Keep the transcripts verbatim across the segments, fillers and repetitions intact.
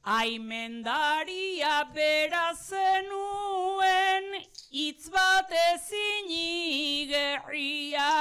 Aimendaria bera zenuen, hitz bat ezin igerria.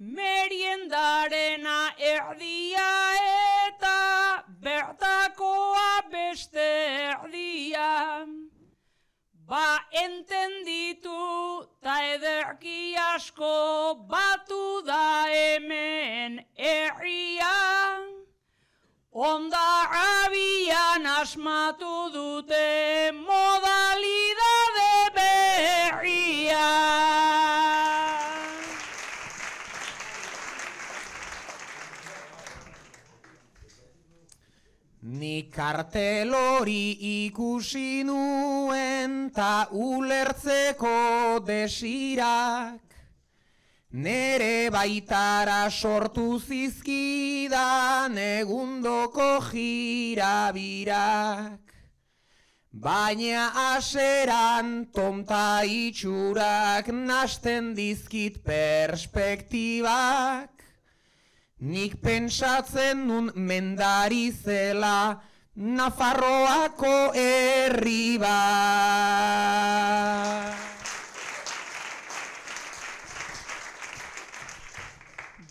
Meriendarena erdia eta bertakoa beste erdia. Ba entenditu ta ederki asko batu da hemen herria. Onda abian asmatu dute modalidade berria. Ni kartel hori ikusi nuen ta ulertzeko desirak, nere baitara sortu zizkidan egundoko jirabirak. Baina aseran tonta itxurak nasten dizkit perspektibak. Nik pentsatzen nun mendari zela Nafarroako herri bat.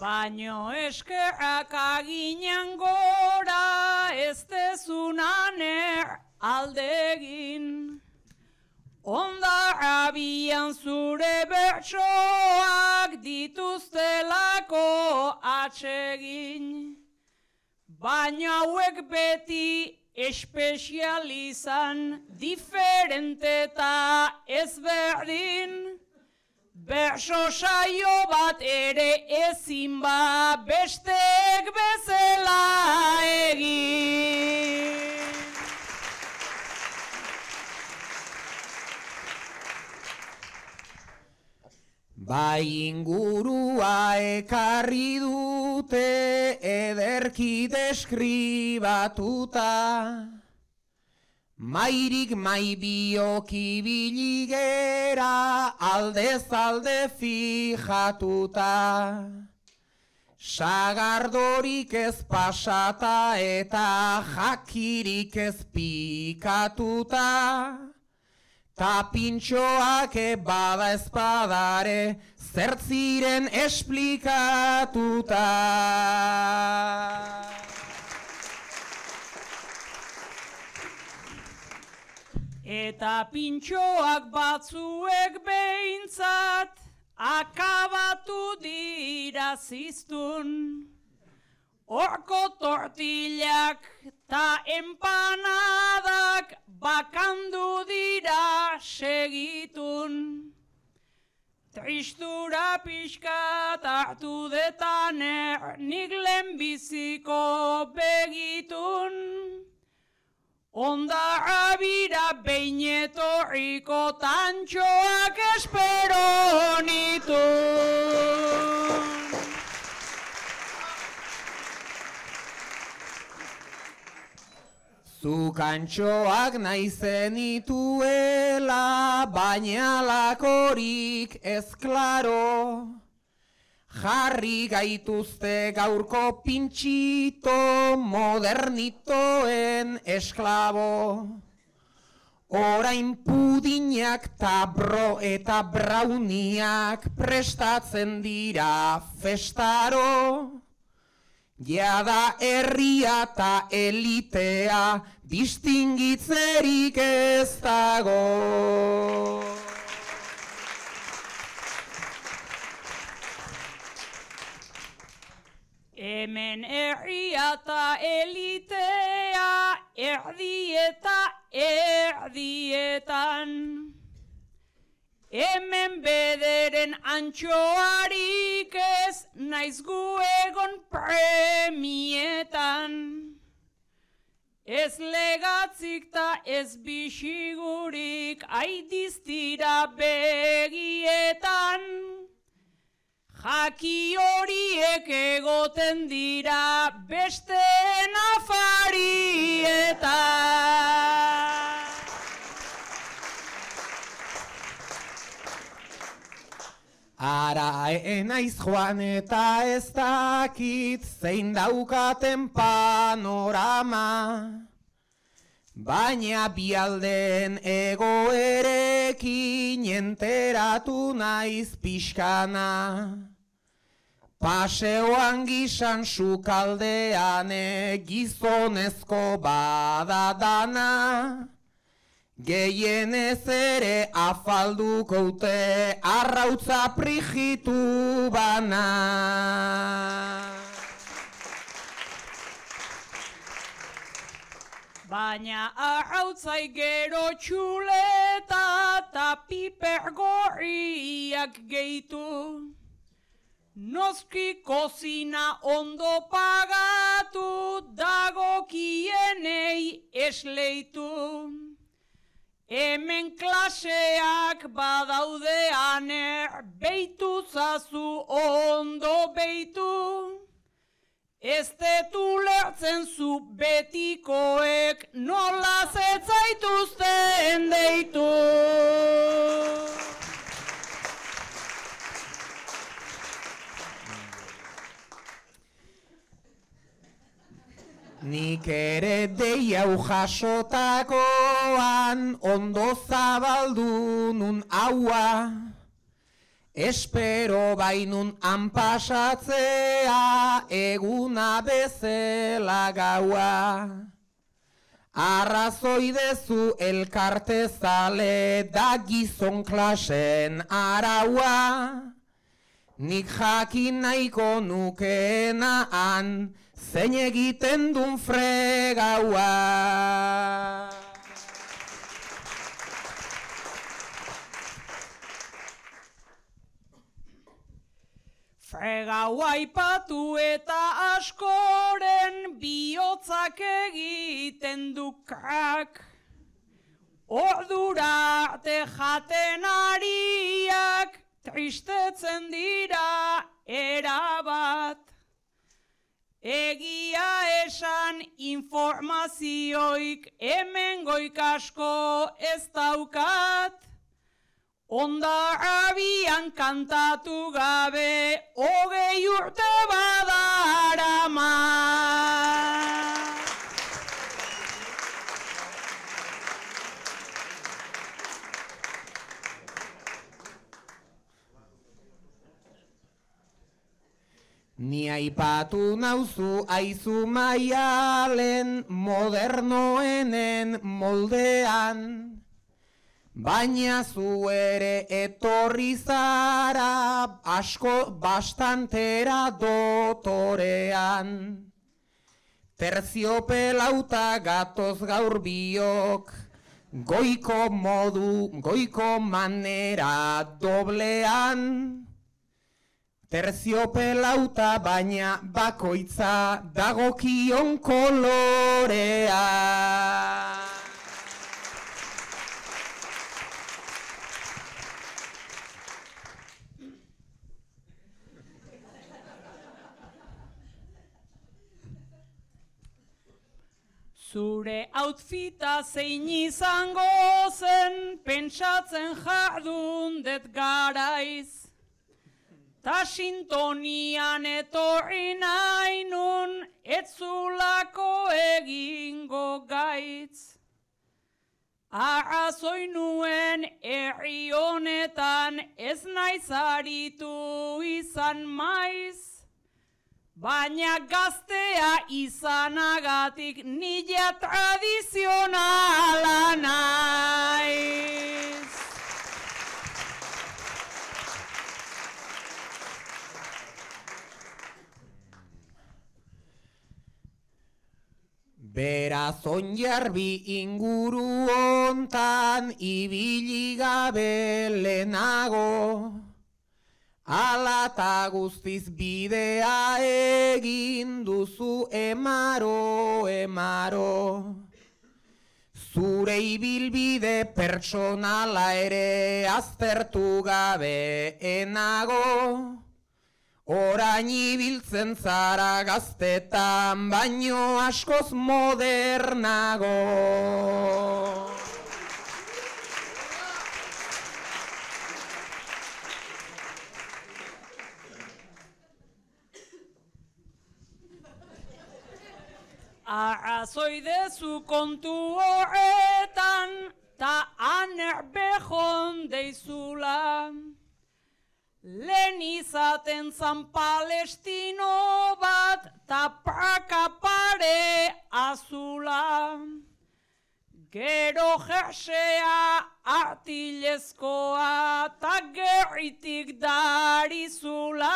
Baino eskerrak aginan gora ez dezunan aldegin. Onda abian zure bertsoak dituztelako atsegin. Baina hauek beti espezializan, diferente eta ezberdin. Berso saio bat ere ezin ba besteek bezala egin. Bai ingurua ekarri dute ederki deskribatuta, mairik mai bioki biligera aldez alde fijatuta. Sagardorik ez pasata eta jakirik ez pikatuta, ta pintxoak bada espadare zertziren esplikatuta. Eta pintxoak batzuek behintzat akabatu dira ziztun. Horko tortillak ta empanadak bakandu dira segitun. Tristura pixkat hartu detaner nik lehenbiziko begitun. Onda abira behin etorriko tantxoak espero nitun. Zuk antxoak nahi zenituela, baina lakorik ez klaro. Jarri gaituzte gaurko pintxito modernitoen esklabo. Orain pudinak ta bro eta brauniak prestatzen dira festaro. Jada herria ta elitea distingitzerik ez dago. Hemen herria ta elitea erdi eta erdietan. Hemen bederen antxoarik ez naiz gu egon premietan. Ez legatzik ta ez bisigurik aidiztira begietan. Jaki horiek egoten dira besteen afarietan. Ara enaiz joan eta ez dakit zein daukaten panorama. baina bialden egoerekin enteratu naiz pixkana. Paseoan gizan sukaldean gizonezko badadana, gehienez ere afalduko ute arrautza prijitu bana. Baina arrautzai gero txuleta eta piper gorriak gehitu. Noski kozina ondo pagatu, dagokienei esleitu. Hemen klaseak badaudean beitu zazu ondo beitu. Ez detu lertzen zu betikoek nola zetzaituzten deitu. Nik ere dei hau jasotakoan ondo zabaldu nun haua, espero bainun anpasatzea eguna bezala gaua. Arrazoi dezu elkartezale da gizon klasen araua, nik jakin nahiko nukeenaan zein egiten dun fregaua. Fregaua ipatu eta askoren bihotzak egiten du krak. Ordura arte jaten ariak tristetzen dira erabat. Egia esan informazioik hemen goikasko ez daukat. Onda abian kantatu gabe hogei urte badarama. Ni aipatu nauzu aizu maialen modernoenen moldean, baina zu ere etorri zara asko bastantera dotorean. Terziopelauta gatoz gaur biok, goiko modu, goiko manera doblean. Terziopelauta baina bakoitza dagokion kolorea. Zure outfita zein izango zen pentsatzen jardun det garaiz. Ta sintonian etorri nahi nun etzulako egingo gaitz. Arrazoi nuen herri honetan ez naiz aritu izan maiz. Baina gaztea izanagatik nila tradizionala naiz. Beraz onjarbi inguru hontan ibili gabe lehenago, ala ta guztiz bidea egin duzu emaro, emaro. Zure ibilbide pertsonala ere aztertu gabe enago, orain ibiltzen zara gaztetan baino askoz modernago. arrazoi dezu kontu horretan, ta aner behon deizula. Lehen izaten zan Palestino bat, ta praka pare azula. Gero jersea artilezkoa, ta gerritik darizula.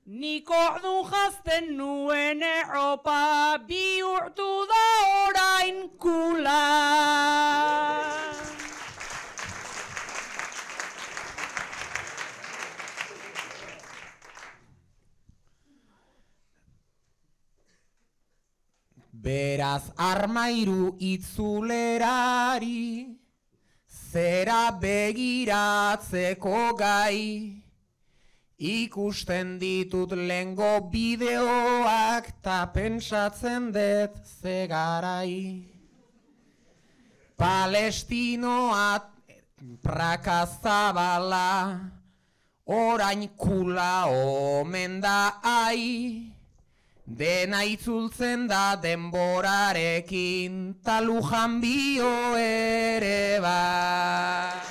Nik ordun jazten nuen erropa, bihurtu da orain kula. Beraz armairu itzulerari, zera begiratzeko gai, ikusten ditut lengo bideoak ta pentsatzen dut zegarai. Palestinoa prakazabala, orain kula omen da ai, dena itzultzen da denborarekin, ta Lujan bio ere bai.